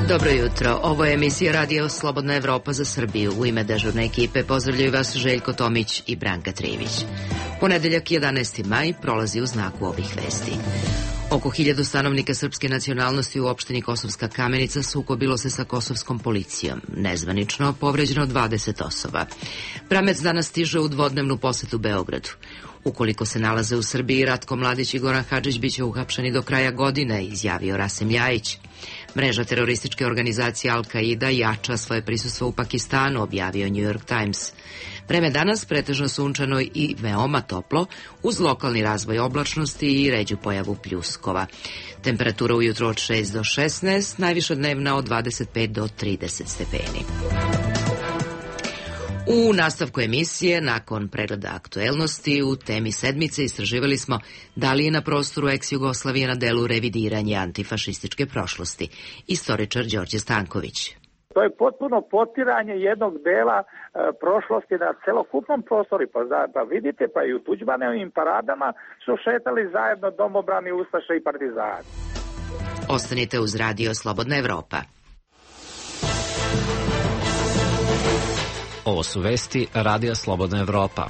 Dobro jutro, ovo je emisija Radio Slobodna Evropa za Srbiju. U ime dežurne ekipe pozdravljaju vas Željko Tomić i Branka Trivić. Ponedeljak 11. maj prolazi u znaku ovih vesti. Oko 1000 stanovnika srpske nacionalnosti u opštini Kosovska Kamenica sukobilo se sa kosovskom policijom. Nezvanično povređeno 20 osoba. Bramec danas stiže u dvodnevnu posetu Beogradu. Ukoliko se nalaze u Srbiji, Ratko Mladić i Goran Hadžić biće uhapšeni do kraja godine, izjavio Rasim Ljajić. Mreža terorističke organizacije Al-Qaida jača svoje prisustvo u Pakistanu, objavio New York Times. Vreme danas pretežno sunčano i veoma toplo, uz lokalni razvoj oblačnosti i ređu pojavu pljuskova. Temperatura ujutro od 6 do 16, najviša dnevna od 25 do 30 stepeni. U nastavku emisije, nakon pregleda aktuelnosti, u temi sedmice istraživali smo da li je na prostoru ex-Jugoslavije na delu revidiranje antifašističke prošlosti. Istoričar Đorđe Stanković. To je potpuno potiranje jednog dela prošlosti na celokupnom prostoru. Pa vidite, pa i u Tuđmanovim paradama su šetali zajedno domobrani, ustaše i partizani. Ostanite uz Radio Slobodna Evropa. Ovo su vesti Radija Slobodna Evropa.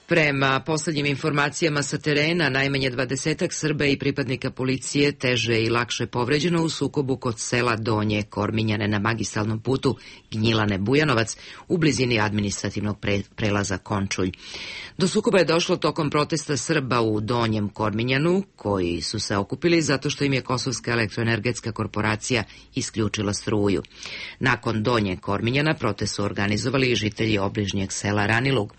Prema poslednjim informacijama sa terena, najmanje 20 Srba i pripadnika policije teže i lakše povređeno u sukobu kod sela Donje Korminjane na magistralnom putu Gnjilane-Bujanovac u blizini administrativnog prelaza Končulj. Do sukoba je došlo tokom protesta Srba u Donjem Korminjanu, koji su se okupili zato što im je Kosovska elektroenergetska korporacija isključila struju. Nakon Donje Korminjana protest su organizovali i žitelji obližnjeg sela Ranilug.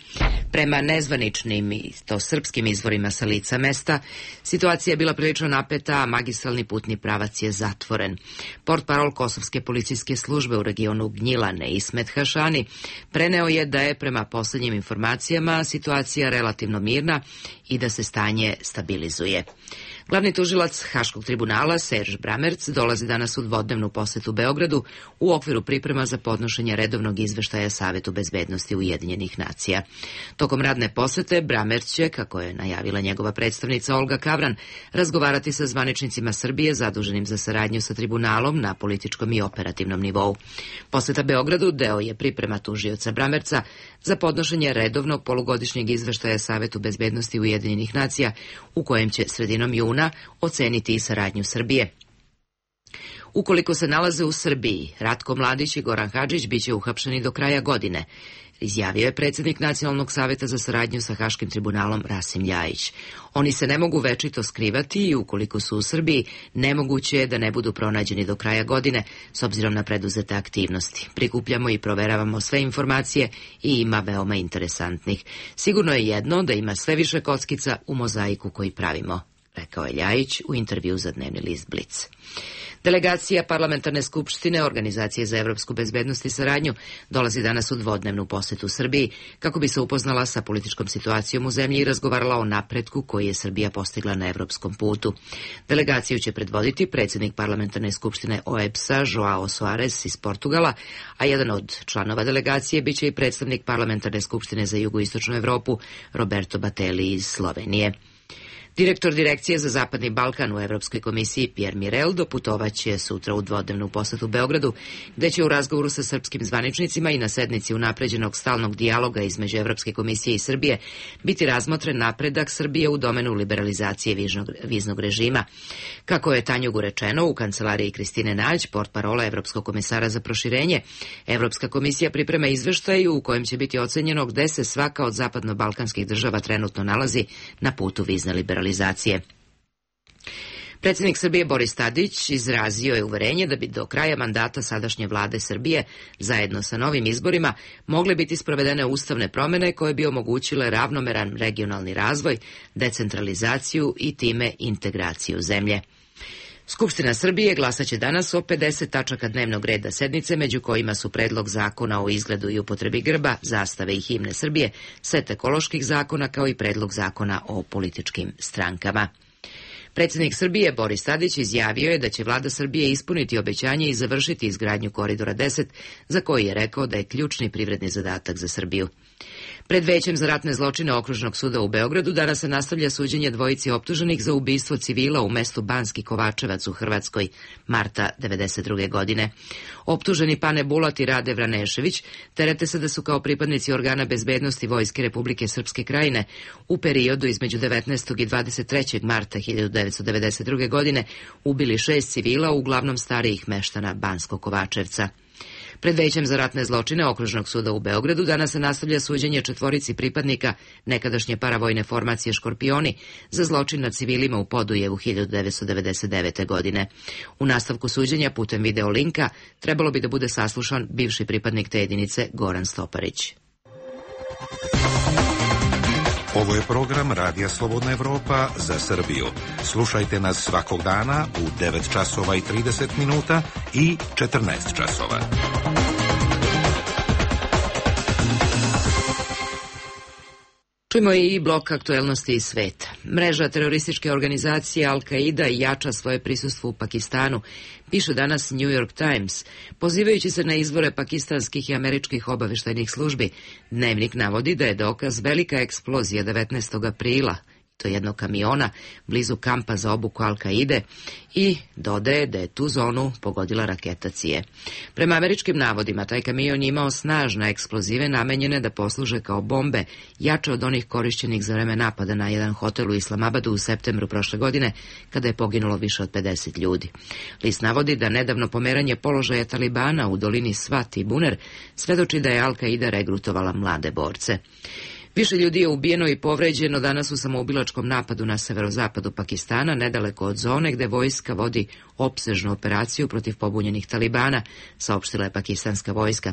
Prema nezvaničnim i to srpskim izvorima sa lica mesta, situacija je bila prilično napeta, a magistralni putni pravac je zatvoren. Portparol Kosovske policijske službe u regionu Gnjilane, Ismet Hašani, preneo je da je prema poslednjim informacijama situacija relativno mirna i da se stanje stabilizuje. Glavni tužilac Haškog tribunala Serž Bramerc dolazi danas u dvodnevnu posetu Beogradu u okviru priprema za podnošenje redovnog izveštaja Savetu bezbednosti Ujedinjenih nacija. Tokom radne posete Bramerc će, kako je najavila njegova predstavnica Olga Kavran, razgovarati sa zvaničnicima Srbije zaduženim za saradnju sa tribunalom na političkom i operativnom nivou. Poseta Beogradu deo je priprema tužioca Bramerca za podnošenje redovnog polugodišnjeg izveštaja Savetu bezbednosti Ujedinjenih nacija, u kojem će sredinom juna oceniti i saradnju Srbije. Ukoliko se nalaze u Srbiji, Ratko Mladić i Goran Hadžić biće uhapšeni do kraja godine, izjavio je predsjednik Nacionalnog saveta za saradnju sa Haškim tribunalom Rasim Ljajić. Oni se ne mogu večito skrivati i ukoliko su u Srbiji, nemoguće je da ne budu pronađeni do kraja godine s obzirom na preduzete aktivnosti. Prikupljamo i proveravamo sve informacije i ima veoma interesantnih. Sigurno je jedno da ima sve više kockica u mozaiku koji pravimo, rekao je Ljajić u intervju za dnevni list Blic. Delegacija Parlamentarne skupštine Organizacije za evropsku bezbednost i saradnju dolazi danas u dvodnevnu posetu Srbiji kako bi se upoznala sa političkom situacijom u zemlji i razgovarala o napretku koji je Srbija postigla na evropskom putu. Delegaciju će predvoditi predsjednik Parlamentarne skupštine OEBS-a Joao Soares iz Portugala, a jedan od članova delegacije biće i predstavnik Parlamentarne skupštine za jugoistočnu Evropu Roberto Batelli iz Slovenije. Direktor Direkcije za Zapadni Balkan u Evropskoj komisiji Pierre Mirel doputovaće sutra u dvodnevnu posetu Beogradu, gde će u razgovoru sa srpskim zvaničnicima i na sednici unapređenog stalnog dijaloga između Evropske komisije i Srbije biti razmotren napredak Srbije u domenu liberalizacije viznog režima. Kako je Tanjugu rečeno u kancelariji Kristine Nađ, portparola Evropskog komesara za proširenje, Evropska komisija priprema izveštaj u kojem će biti ocenjeno gde se svaka od zapadno-balkanskih država trenutno nalazi na putu vizne liberalizacije. Predsjednik Srbije Boris Tadić izrazio je uverenje da bi do kraja mandata sadašnje vlade Srbije, zajedno sa novim izborima, mogle biti sprovedene ustavne promjene koje bi omogućile ravnomeran regionalni razvoj, decentralizaciju i time integraciju zemlje. Skupština Srbije glasaće danas o 50 tačaka dnevnog reda sednice, među kojima su predlog zakona o izgledu i upotrebi grba, zastave i himne Srbije, set ekoloških zakona kao i predlog zakona o političkim strankama. Predsjednik Srbije Boris Tadić izjavio je da će vlada Srbije ispuniti obećanje i završiti izgradnju Koridora 10, za koji je rekao da je ključni privredni zadatak za Srbiju. Pred Većem za ratne zločine Okružnog suda u Beogradu danas se nastavlja suđenje dvojici optuženih za ubistvo civila u mestu Banski Kovačevac u Hrvatskoj marta 1992. godine. Optuženi Pane Bulat i Rade Vranešević terete se da su kao pripadnici organa bezbednosti Vojske Republike Srpske Krajine u periodu između 19. i 23. marta 1992. godine ubili 6 civila, uglavnom starijih meštana Banskog Kovačevca. Pred Većem za ratne zločine Okružnog suda u Beogradu danas se nastavlja suđenje četvorici pripadnika nekadašnje paravojne formacije Škorpioni za zločin nad civilima u Podujevu 1999. godine. U nastavku suđenja putem video linka trebalo bi da bude saslušan bivši pripadnik te jedinice Goran Stoparić. Ovo je program Radija Slobodna Evropa za Srbiju. Slušajte nas svakog dana u 9 časova i 30 minuta i 14 časova. Čujemo i blok aktuelnosti iz sveta. Mreža terorističke organizacije Al-Qaida jača svoje prisustvo u Pakistanu, piše danas New York Times. Pozivajući se na izvore pakistanskih i američkih obaveštajnih službi, Dnevnik navodi da je dokaz velika eksplozija 19. aprila, to jednog kamiona, blizu kampa za obuku Al-Qaide, i dodaje da je tu zonu pogodila raketa CIA. Prema američkim navodima, taj kamion je imao snažne eksplozive namenjene da posluže kao bombe, jače od onih korišćenih za vreme napada na jedan hotel u Islamabadu u septembru prošle godine, kada je poginulo više od 50 ljudi. List navodi da nedavno pomeranje položaja Talibana u dolini Swat i Buner svedoči da je Al-Qaida regrutovala mlade borce. Više ljudi je ubijeno i povređeno danas u samoubilačkom napadu na severozapadu Pakistana, nedaleko od zone gde vojska vodi opsežnu operaciju protiv pobunjenih Talibana, saopštila je pakistanska vojska.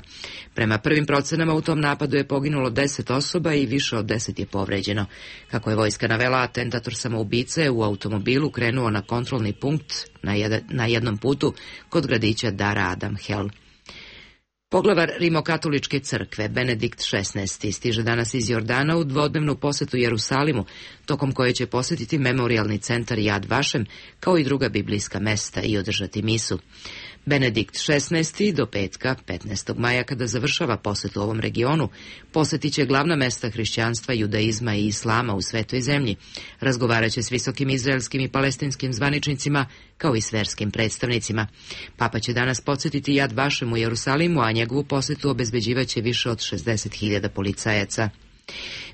Prema prvim procenama u tom napadu je poginulo 10 osoba i više od 10 je povređeno. Kako je vojska navela, atentator samoubice je u automobilu krenuo na kontrolni punkt na jednom putu kod gradića Dar Adam Hel. Poglavar Rimokatoličke crkve, Benedikt XVI, stiže danas iz Jordana u dvodnevnu posetu Jerusalimu, tokom koje će posetiti memorijalni centar Yad Vashem, kao i druga biblijska mesta i održati misu. Benedikt XVI do petka, 15. maja, kada završava posetu ovom regionu, posetit će glavna mesta hrišćanstva, judaizma i islama u svetoj zemlji, razgovaraće s visokim izraelskim i palestinskim zvaničnicima, kao i s verskim predstavnicima. Papa će danas podsjetiti Yad Vashem u Jerusalimu, a njegovu posetu obezbeđivaće više od 60.000 policajaca.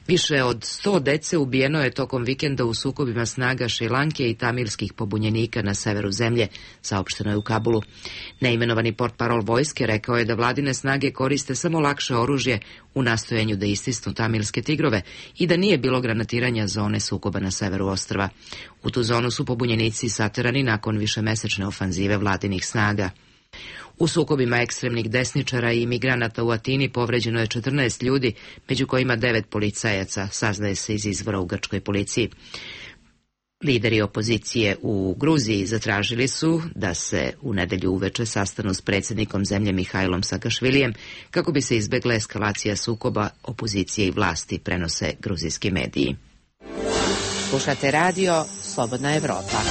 Više od 100 dece ubijeno je tokom vikenda u sukobima snaga Šrilanke i tamilskih pobunjenika na severu zemlje, saopšteno je u Kabulu. Neimenovani portparol vojske rekao je da vladine snage koriste samo lakše oružje u nastojanju da istisnu tamilske tigrove i da nije bilo granatiranja zone sukoba na severu ostrva. U tu zonu su pobunjenici saterani nakon višemesečne ofanzive vladinih snaga. U sukobima ekstremnih desničara i imigranata u Atini povređeno je 14 ljudi, među kojima 9 policajaca, saznaje se iz izvora u grčkoj policiji. Lideri opozicije u Gruziji zatražili su da se u nedelju uveče sastanu s predsjednikom zemlje Mihajlom Sakašvilijem kako bi se izbegla eskalacija sukoba opozicije i vlasti, prenose gruzijski mediji. Slušate radio Slobodna Evropa.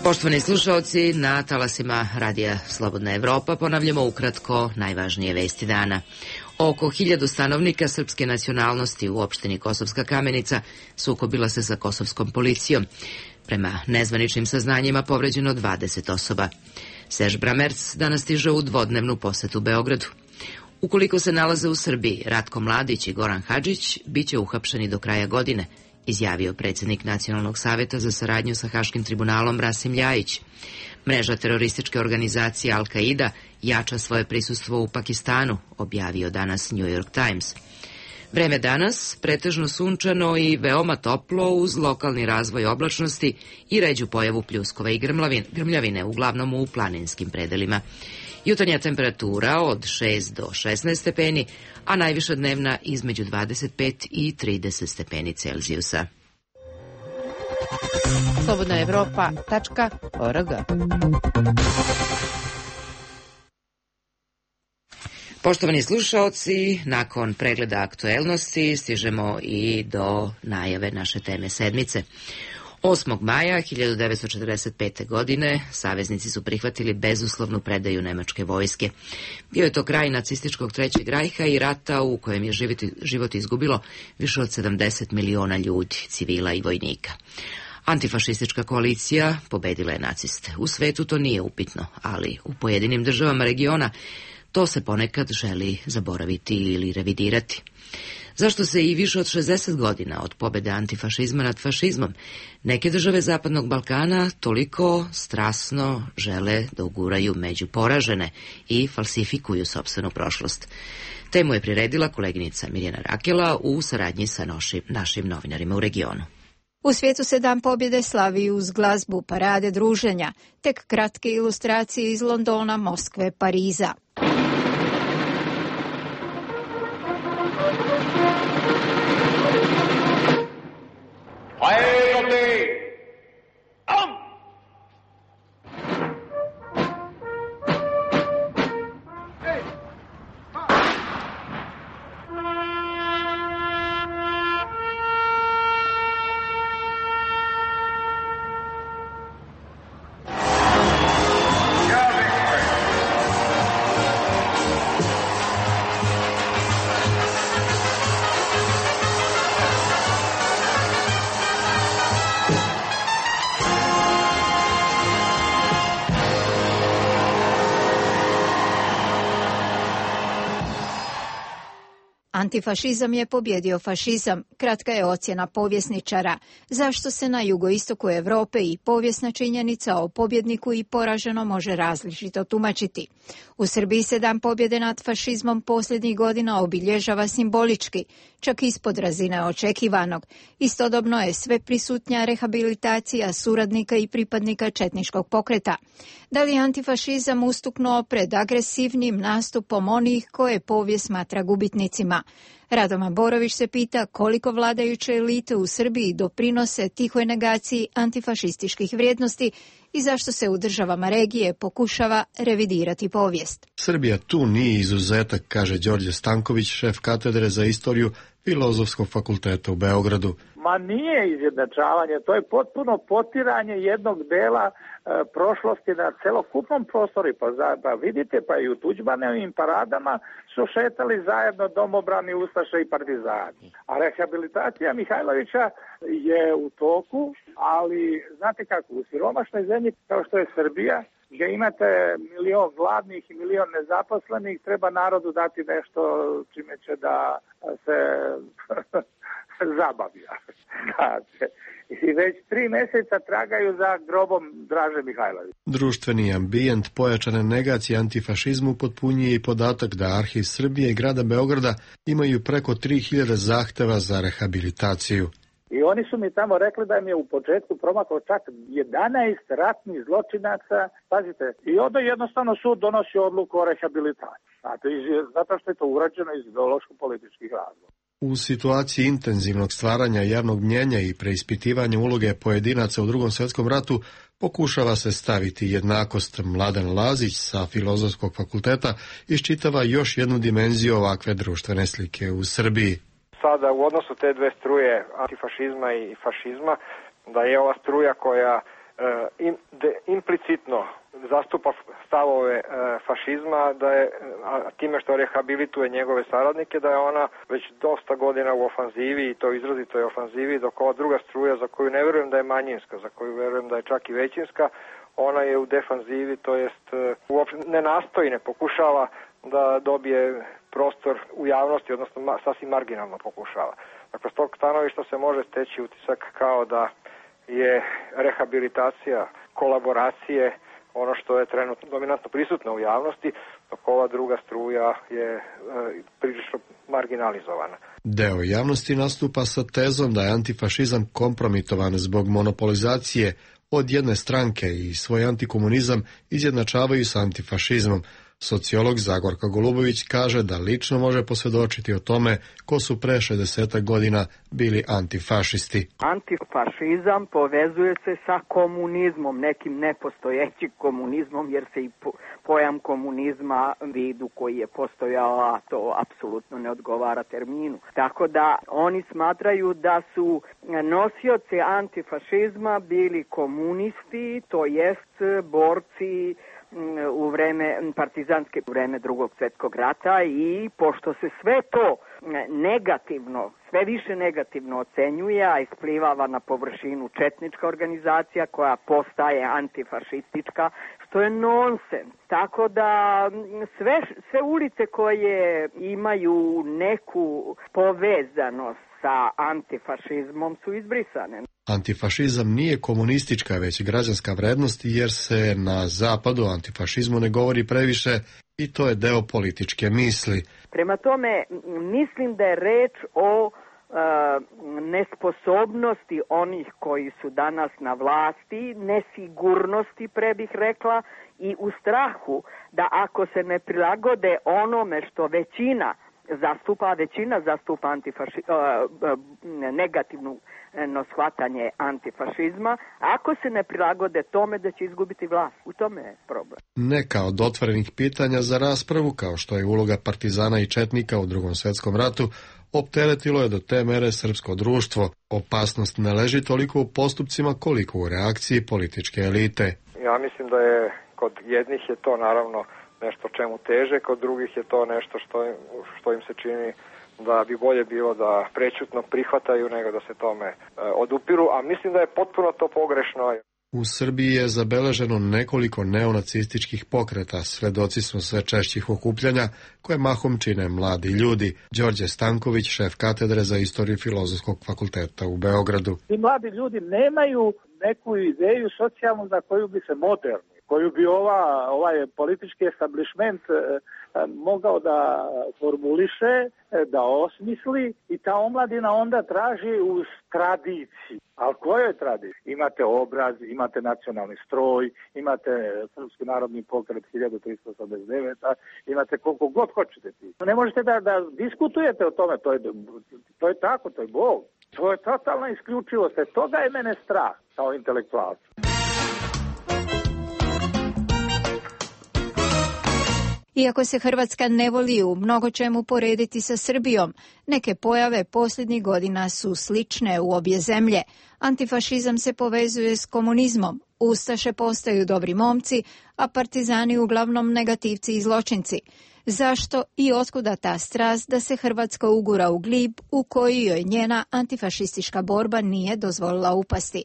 Poštovani slušalci, na talasima Radija Slobodna Evropa ponavljamo ukratko najvažnije vesti dana. Oko 1000 stanovnika srpske nacionalnosti u opštini Kosovska Kamenica sukobila se sa kosovskom policijom. Prema nezvaničnim saznanjima povređeno 20 osoba. Serž Bramerc danas stiže u dvodnevnu posetu Beogradu. Ukoliko se nalaze u Srbiji, Ratko Mladić i Goran Hadžić biće uhapšeni do kraja godine, izjavio predsjednik Nacionalnog saveta za saradnju sa Haškim tribunalom Rasim Ljajić. Mreža terorističke organizacije Al-Qaida jača svoje prisustvo u Pakistanu, objavio danas New York Times. Vreme danas pretežno sunčano i veoma toplo uz lokalni razvoj oblačnosti i ređu pojavu pljuskova i grmljavine, uglavnom u planinskim predelima. Jutarnja temperatura od 6 do 16 stepeni, a najviša dnevna između 25 i 30 stepeni Celzijusa. slobodnaevropa.org. Poštovani slušaoci, nakon pregleda aktuelnosti stižemo i do najave naše teme sedmice. 8. maja 1945. godine saveznici su prihvatili bezuslovnu predaju nemačke vojske. Bio je to kraj nacističkog Trećeg rajha i rata u kojem je život izgubilo više od 70 miliona ljudi, civila i vojnika. Antifašistička koalicija pobedila je naciste. U svetu to nije upitno, ali u pojedinim državama regiona to se ponekad želi zaboraviti ili revidirati. Zašto se i više od 60 godina od pobede antifašizma nad fašizmom neke države Zapadnog Balkana toliko strasno žele da uguraju među poražene i falsifikuju sopstvenu prošlost? Temu je priredila koleginica Mirjana Rakela u saradnji sa našim novinarima u regionu. U svijetu se Dan pobjede slavi uz glazbu, parade, druženja, tek kratke ilustracije iz Londona, Moskve, Pariza. Antifašizam je pobjedio fašizam, kratka je ocjena povjesničara. Zašto se na jugoistoku Europe i povijesna činjenica o pobjedniku i poraženo može različito tumačiti? U Srbiji se Dan pobjede nad fašizmom posljednjih godina obilježava simbolički, čak ispod razine očekivanog. Istodobno je sve prisutnja rehabilitacija suradnika i pripadnika četničkog pokreta. Da li je antifašizam ustuknuo pred agresivnim nastupom onih koje povijest smatra gubitnicima? Radovan Borović se pita koliko vladajuće elite u Srbiji doprinose tihoj negaciji antifašističkih vrijednosti i zašto se u državama regije pokušava revidirati povijest. Srbija tu nije izuzetak, kaže Đorđe Stanković, šef katedre za istoriju Filozofskog fakulteta u Beogradu. Ma nije izjednačavanje, to je potpuno potiranje jednog dela prošlosti na celokupnom prostoru. Pa vidite, pa i u Tuđmanovim paradama su šetali zajedno domobrani, ustaše i partizani. A rehabilitacija Mihajlovića je u toku, ali znate kako, u siromašnoj zemlji kao što je Srbija, gdje imate milion gladnih i milion nezaposlenih, treba narodu dati nešto čime će da se zabavlja. I već 3 mjeseca tragaju za grobom Draže Mihajlovića. Društveni ambijent pojačane negacije antifašizmu potpunjuje i podatak da Arhiv Srbije i grada Beograda imaju preko 3000 zahteva za rehabilitaciju. I oni su mi tamo rekli da im je u početku promaklo čak 11 ratnih zločinaca, pazite, i onda jednostavno sud donosi odluku o rehabilitaciji. Zato što je to urađeno iz ideološko-političkih razloga. U situaciji intenzivnog stvaranja javnog mnjenja i preispitivanja uloge pojedinaca u Drugom svjetskom ratu pokušava se staviti jednakost. Mladen Lazić sa Filozofskog fakulteta iščitava još jednu dimenziju ovakve društvene slike u Srbiji. Sada u odnosu te dve struje antifašizma i fašizma, da je ova struja koja implicitno zastupa stavove fašizma, da je time što rehabilituje njegove saradnike, da je ona već dosta godina u ofanzivi i to izrazito je ofanzivi, dok ova druga struja za koju ne vjerujem da je manjinska, za koju vjerujem da je čak i većinska, ona je u defanzivi, to jest uopšte ne nastoji, ne pokušava da dobije prostor u javnosti, odnosno sasvim marginalno pokušava. Dakle, s tog stanovišta se može steći utisak kao da je rehabilitacija kolaboracije ono što je trenutno dominantno prisutno u javnosti, dok ova druga struja je prilično marginalizovana. Deo javnosti nastupa sa tezom da je antifašizam kompromitovan zbog monopolizacije od jedne stranke i svoj antikomunizam izjednačavaju sa antifašizmom. Sociolog Zagorka Golubović kaže da lično može posvjedočiti o tome ko su pre 60 godina bili antifašisti. Antifašizam povezuje se sa komunizmom, nekim nepostojećim komunizmom, jer se i pojam komunizma vidu koji je postojao, a to apsolutno ne odgovara terminu. Tako da oni smatraju da su nosioci antifašizma bili komunisti, to jest borci u vreme partizanske, u vreme Drugog svjetskog rata, i pošto se sve to negativno, sve više negativno ocenjuje, a isplivava na površinu četnička organizacija koja postaje antifašistička, što je nonsens. Tako da sve ulice koje imaju neku povezanost sa antifašizmom su izbrisane. Antifašizam nije komunistička, već građanska vrednost, jer se na zapadu o antifašizmu ne govori previše i to je deo političke misli. Prema tome, mislim da je reč o nesposobnosti onih koji su danas na vlasti, nesigurnosti, pre bih rekla, i u strahu da ako se ne prilagode onome što većina zastupa negativno shvatanje antifašizma, ako se ne prilagode tome da će izgubiti vlast. U tome je problem. Neka od otvorenih pitanja za raspravu, kao što je uloga partizana i četnika u Drugom svjetskom ratu, opteretilo je do te mere srpsko društvo. Opasnost ne leži toliko u postupcima koliko u reakciji političke elite. Ja mislim da je kod jednih je to naravno nešto čemu teže, kod drugih je to nešto što im se čini da bi bolje bilo da prećutno prihvataju nego da se tome odupiru, a mislim da je potpuno to pogrešno. U Srbiji je zabeleženo nekoliko neonacističkih pokreta, svedoci smo sve češćih okupljanja koje mahom čine mladi ljudi. Đorđe Stanković, šef katedre za istoriju Filozofskog fakulteta u Beogradu. Ti mladi ljudi nemaju neku ideju socijalnu za koju bi se moderni, koju bi ovaj politički establishment mogao da formuliše, da osmisli, i ta omladina onda traži uz tradiciji. Ali kojoj tradiciji? Imate obraz, imate nacionalni stroj, imate Srpski narodni pokret 1389, imate koliko god hoćete ti. Ne možete da diskutujete o tome, to je tako, to je Bog. To je totalna isključivost, toga je mene strah kao intelektualca. Iako se Hrvatska ne voli u mnogo čemu porediti sa Srbijom, neke pojave posljednjih godina su slične u obje zemlje. Antifašizam se povezuje s komunizmom, ustaše postaju dobri momci, a partizani uglavnom negativci i zločinci. Zašto i otkuda ta strast da se Hrvatska ugura u glib u koji joj njena antifašistička borba nije dozvolila upasti?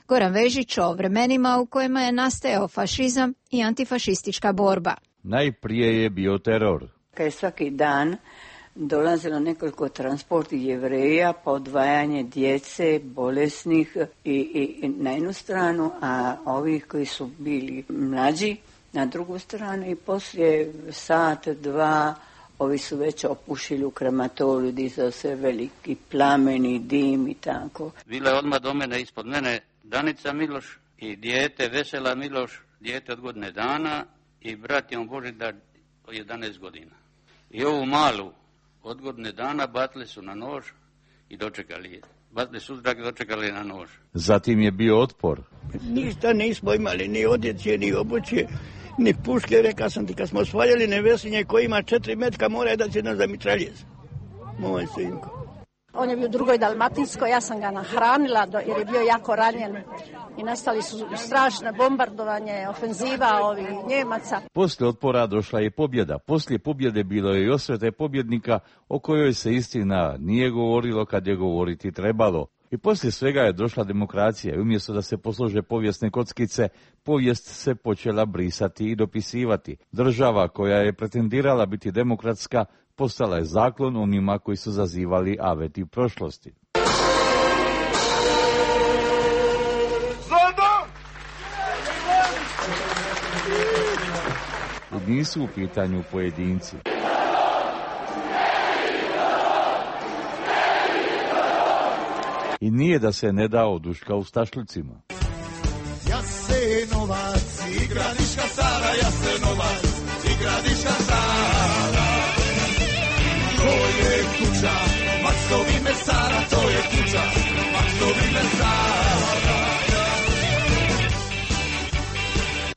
Goran Vežić o vremenima u kojima je nastajao fašizam i antifašistička borba. Najprije je bio teror. Kad je svaki dan dolazilo nekoliko transporti Jevreja, pa odvajanje djece, bolesnih i na jednu stranu, a ovih koji su bili mlađi na drugu stranu, i poslije sat, dva, ovi su već opušili u krematoriju, dizao se veliki plameni, dim i tako. Bila je odmah do mene, ispod mene, Danica Miloš i dijete Vesela Miloš, dijete od godine dana, i brat Jon Božidar 11 godina. I ovu malu od godine dana batili su na nož i dočekali je. Batili su uzrak i dočekali na nož. Zatim je bio otpor. Ništa nismo imali, ni odjeće, ni obuće, ni puške. Rekao sam ti, kad smo osvajali Nevesinje koji ima 4 metka, mora da će nas za mitraljez. Moj sinko. On je bio u Drugoj Dalmatinskoj, ja sam ga nahranila jer je bio jako ranjen i nastali su strašne bombardovanje, ofenziva ovih Njemaca. Poslije otpora došla je pobjeda. Poslije pobjede bilo je i osvete pobjednika o kojoj se istina nije govorilo kad je govoriti trebalo. I poslije svega je došla demokracija i umjesto da se poslože povijesne kockice, povijest se počela brisati i dopisivati. Država koja je pretendirala biti demokratska postala je zaklon onima koji su zazivali aveti prošlosti. I nisu u pitanju pojedinci. I nije da se ne da oduška u stašlicima. Jasenovac, igra Niška Stara, Jasenovac, Gradiška Stara. To je kuća Maksovi mesara, to je kuća Maksovi mesara.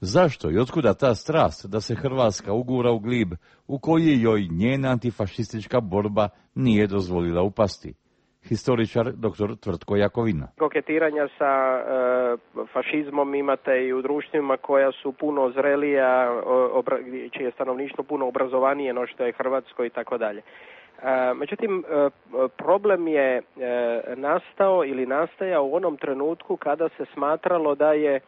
Zašto i otkuda ta strast da se Hrvatska ugura u glib u koji joj njena antifašistička borba nije dozvolila upasti? Historičar dr. Tvrtko Jakovina. Koketiranja sa fašizmom imate i u društvima koja su puno zrelija, čije je stanovništvo puno obrazovanije no što je Hrvatsko i tako dalje. Međutim, problem je nastao ili nastajao u onom trenutku kada se smatralo da je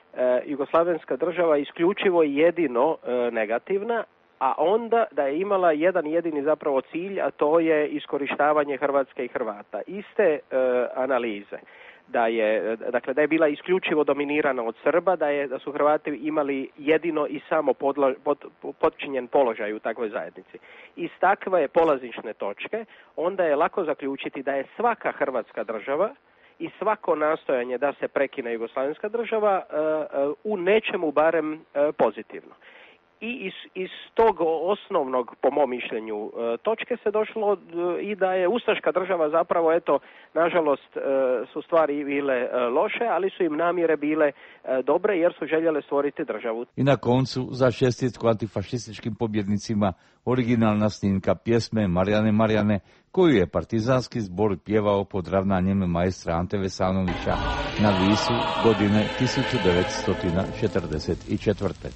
jugoslavenska država isključivo jedino negativna, a onda da je imala jedan jedini zapravo cilj, a to je iskorištavanje Hrvatske i Hrvata. Iste analize. Da je bila isključivo dominirana od Srba, da su Hrvati imali jedino i samo podčinjen položaj u takvoj zajednici. Iz takve polazišne točke onda je lako zaključiti da je svaka Hrvatska država i svako nastojanje da se prekine jugoslavenska država u nečemu barem pozitivno. I iz tog osnovnog, po mom mišljenju, točke se došlo i da je ustaška država zapravo, eto, nažalost su stvari bile loše, ali su im namjere bile dobre jer su željele stvoriti državu. I na koncu za čestitku antifašističkim pobjednicima originalna snimka pjesme Marijane, koju je partizanski zbor pjevao pod ravnanjem maestra Ante Vesanovića na Visu godine 1944.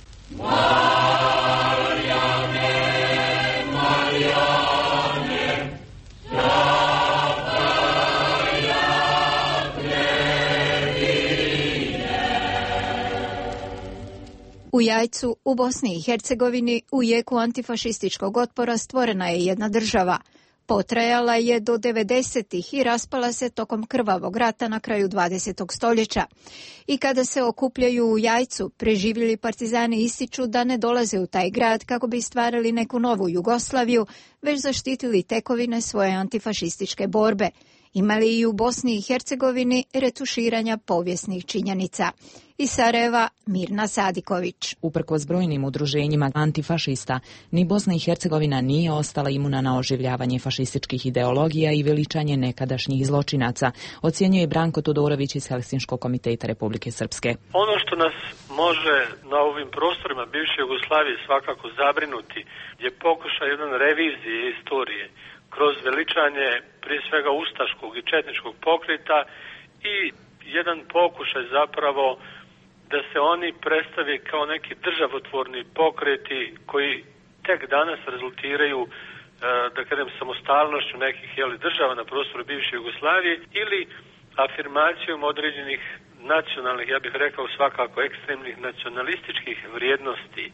U Jajcu, u Bosni i Hercegovini, u jeku antifašističkog otpora stvorena je jedna država. Potrajala je do 90-ih i raspala se tokom krvavog rata na kraju 20. stoljeća. I kada se okupljaju u Jajcu, preživjeli partizani ističu da ne dolaze u taj grad kako bi stvarali neku novu Jugoslaviju, već zaštitili tekovine svoje antifašističke borbe. Imali i u Bosni i Hercegovini retuširanja povijesnih činjenica. Iz Sarajeva, Mirna Sadiković. Uprkos brojnim udruženjima antifašista, ni Bosna i Hercegovina nije ostala imuna na oživljavanje fašističkih ideologija i veličanje nekadašnjih zločinaca, ocjenjuje Branko Todorović iz Helsinškog komiteta Republike Srpske. Ono što nas može na ovim prostorima bivše Jugoslavije svakako zabrinuti je pokušaj jedan revizije istorije kroz veličanje prije svega ustaškog i četničkog pokreta i jedan pokušaj zapravo da se oni predstave kao neki državotvorni pokreti koji tek danas rezultiraju, da kažem, samostalnošću nekih država na prostoru bivše Jugoslavije ili afirmacijom određenih nacionalnih, ja bih rekao svakako ekstremnih nacionalističkih vrijednosti.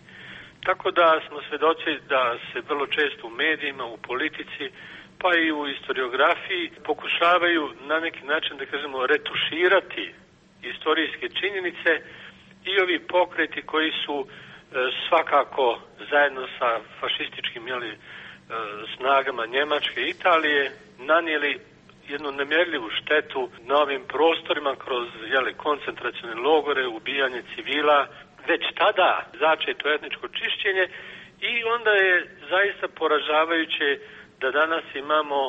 Tako da smo svedoci da se vrlo često u medijima, u politici, pa i u historiografiji pokušavaju na neki način, da kažemo, retuširati istorijske činjenice i ovi pokreti koji su svakako zajedno sa fašističkim snagama Njemačke i Italije nanijeli jednu nemjerljivu štetu na ovim prostorima kroz koncentracione logore, ubijanje civila, već tada začeto etničko čišćenje i onda je zaista poražavajuće da danas imamo,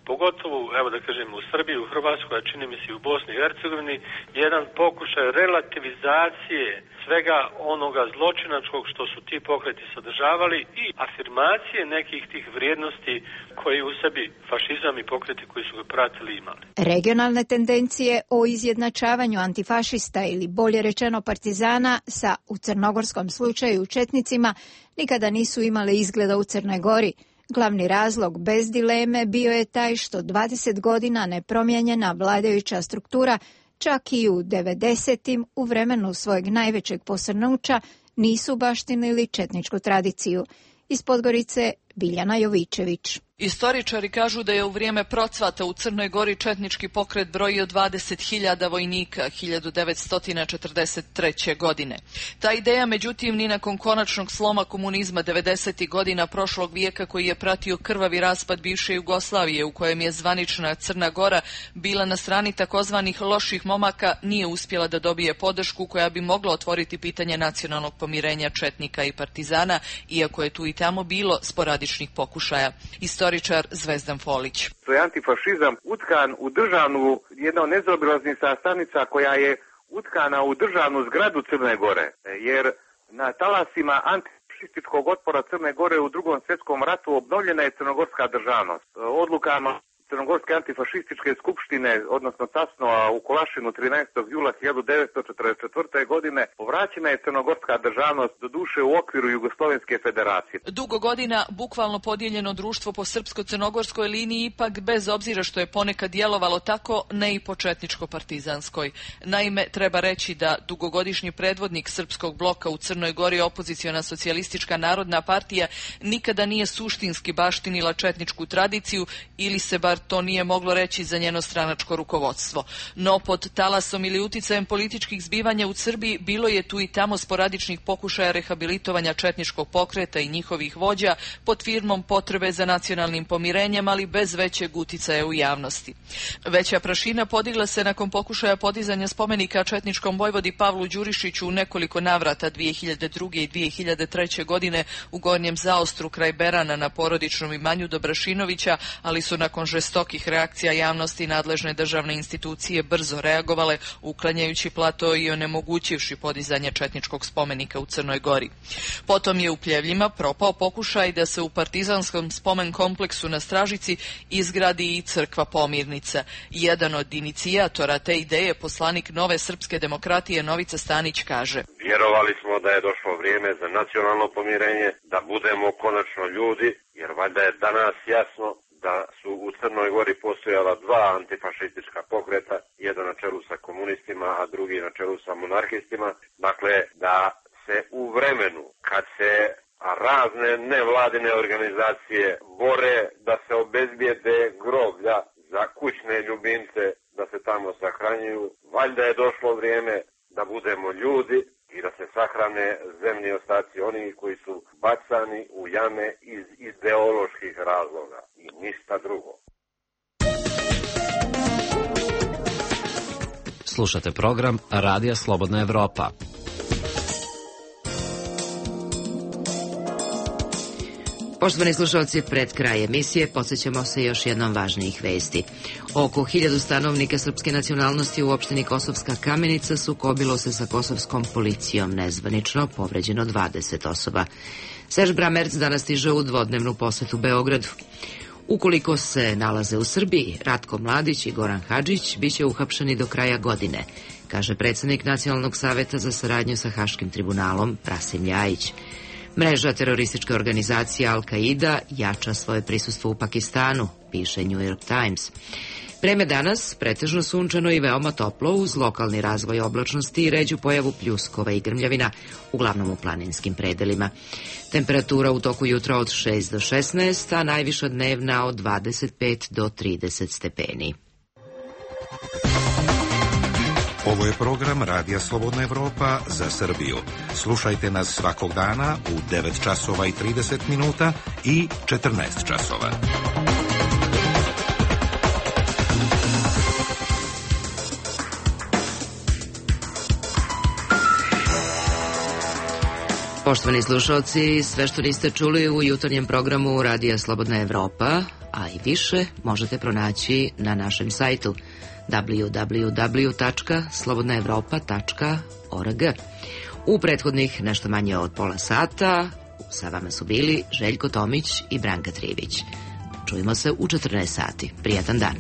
pogotovo, evo da kažem, u Srbiji, u Hrvatskoj, a čini mi se i u Bosni i Hercegovini, jedan pokušaj relativizacije svega onoga zločinačkog što su ti pokreti sadržavali i afirmacije nekih tih vrijednosti koji u sebi fašizam i pokreti koji su ga pratili imali. Regionalne tendencije o izjednačavanju antifašista ili bolje rečeno partizana sa, u crnogorskom slučaju, četnicima, nikada nisu imale izgleda u Crnoj Gori. Glavni razlog, bez dileme, bio je taj što 20 godina nepromijenjena vladajuća struktura, čak i u 90-im, u vremenu svojeg najvećeg posrnuća, nisu baštinili četničku tradiciju. Iz Podgorice, Biljana Jovičević. Istoričari kažu da je u vrijeme procvata u Crnoj Gori četnički pokret brojio 20.000 vojnika 1943. godine. Ta ideja, međutim, ni nakon konačnog sloma komunizma 90. godina prošlog vijeka, koji je pratio krvavi raspad bivše Jugoslavije, u kojem je zvanična Crna Gora bila na strani takozvanih loših momaka, nije uspjela da dobije podršku koja bi mogla otvoriti pitanje nacionalnog pomirenja četnika i partizana, iako je tu i tamo bilo sporadičnih pokušaja. Istoričar Zvezdan Folić. To je antifašizam utkan u državnu, jedna od nezaobilaznih sastavnica koja je utkana u državnu zgradu Crne Gore, jer na talasima antifašističkog otpora Crne Gore u Drugom svjetskom ratu obnovljena je crnogorska državnost. Odlukama Crnogorske antifašističke skupštine, odnosno Tasnova u Kolašinu 13. jula 1944. godine, povraćena je crnogorska državnost, doduše u okviru Jugoslovenske federacije. Dugo godina bukvalno podijeljeno društvo po srpsko-crnogorskoj liniji, ipak bez obzira što je ponekad djelovalo tako, ne i po četničko-partizanskoj. Naime, treba reći da dugogodišnji predvodnik srpskog bloka u Crnoj Gori, opoziciona socijalistička narodna partija, nikada nije suštinski baštinila četničku tradiciju, ili se bar to nije moglo reći za njeno stranačko rukovodstvo. No pod talasom ili uticajem političkih zbivanja u Srbiji bilo je tu i tamo sporadičnih pokušaja rehabilitovanja četničkog pokreta i njihovih vođa pod firmom potrebe za nacionalnim pomirenjem, ali bez većeg uticaja u javnosti. Veća prašina podigla se nakon pokušaja podizanja spomenika četničkom vojvodi Pavlu Đurišiću u nekoliko navrata 2002. i 2003. godine u Gornjem Zaostru kraj Berana na porodičnom imanju Dobrašinovića, ali su nakon žestokih reakcija javnosti i nadležne državne institucije brzo reagovale, uklanjajući plato i onemogućivši podizanje četničkog spomenika u Crnoj Gori. Potom je u Pljevljima propao pokušaj da se u partizanskom spomen kompleksu na Stražici izgradi i crkva Pomirnica. Jedan od inicijatora te ideje, poslanik Nove srpske demokratije Novica Stanić, kaže: Vjerovali smo da je došlo vrijeme za nacionalno pomirenje, da budemo konačno ljudi, jer valjda je danas jasno da su u Crnoj Gori postojala dva antifašistička pokreta, jedan na čelu sa komunistima, a drugi na čelu sa monarhistima. Dakle, da se u vremenu kad se razne nevladine organizacije bore da se obezbijede groblja za kućne ljubimce, da se tamo sahranjuju, valjda je došlo vrijeme da budemo ljudi i da se sahrane zemlji ostaci oni koji su bacani u jame iz ideoloških razloga i ništa drugo. Slušate program Radija Slobodna Evropa. Poštovani slušalci, pred kraj emisije podsjećamo se još jednom važnijih vesti. Oko 1000 stanovnika srpske nacionalnosti u opštini Kosovska Kamenica sukobilo se sa kosovskom policijom. Nezvanično povređeno 20 osoba. Serž Bramerc danas stiže u dvodnevnu posetu Beogradu. Ukoliko se nalaze u Srbiji, Ratko Mladić i Goran Hadžić biće uhapšeni do kraja godine, kaže predsjednik Nacionalnog saveta za saradnju sa Haškim tribunalom Rasim Ljajić. Mreža terorističke organizacije Al-Qaida jača svoje prisustvo u Pakistanu, piše New York Times. Vreme danas pretežno sunčano i veoma toplo uz lokalni razvoj oblačnosti i ređu pojavu pljuskova i grmljavina, uglavnom u planinskim predelima. Temperatura u toku jutra od 6 do 16, a najviša dnevna od 25 do 30 stepeni. Ovo je program Radija Slobodna Evropa za Srbiju. Slušajte nas svakog dana u 9 časova i 30 minuta i 14 časova. Poštovani slušalci, sve što niste čuli u jutarnjem programu Radija Slobodna Evropa, a i više, možete pronaći na našem sajtu www.slobodnaevropa.org. U prethodnih nešto manje od pola sata sa vama su bili Željko Tomić i Branka Trivić. Čujemo se u 14 sati. Prijatan dan.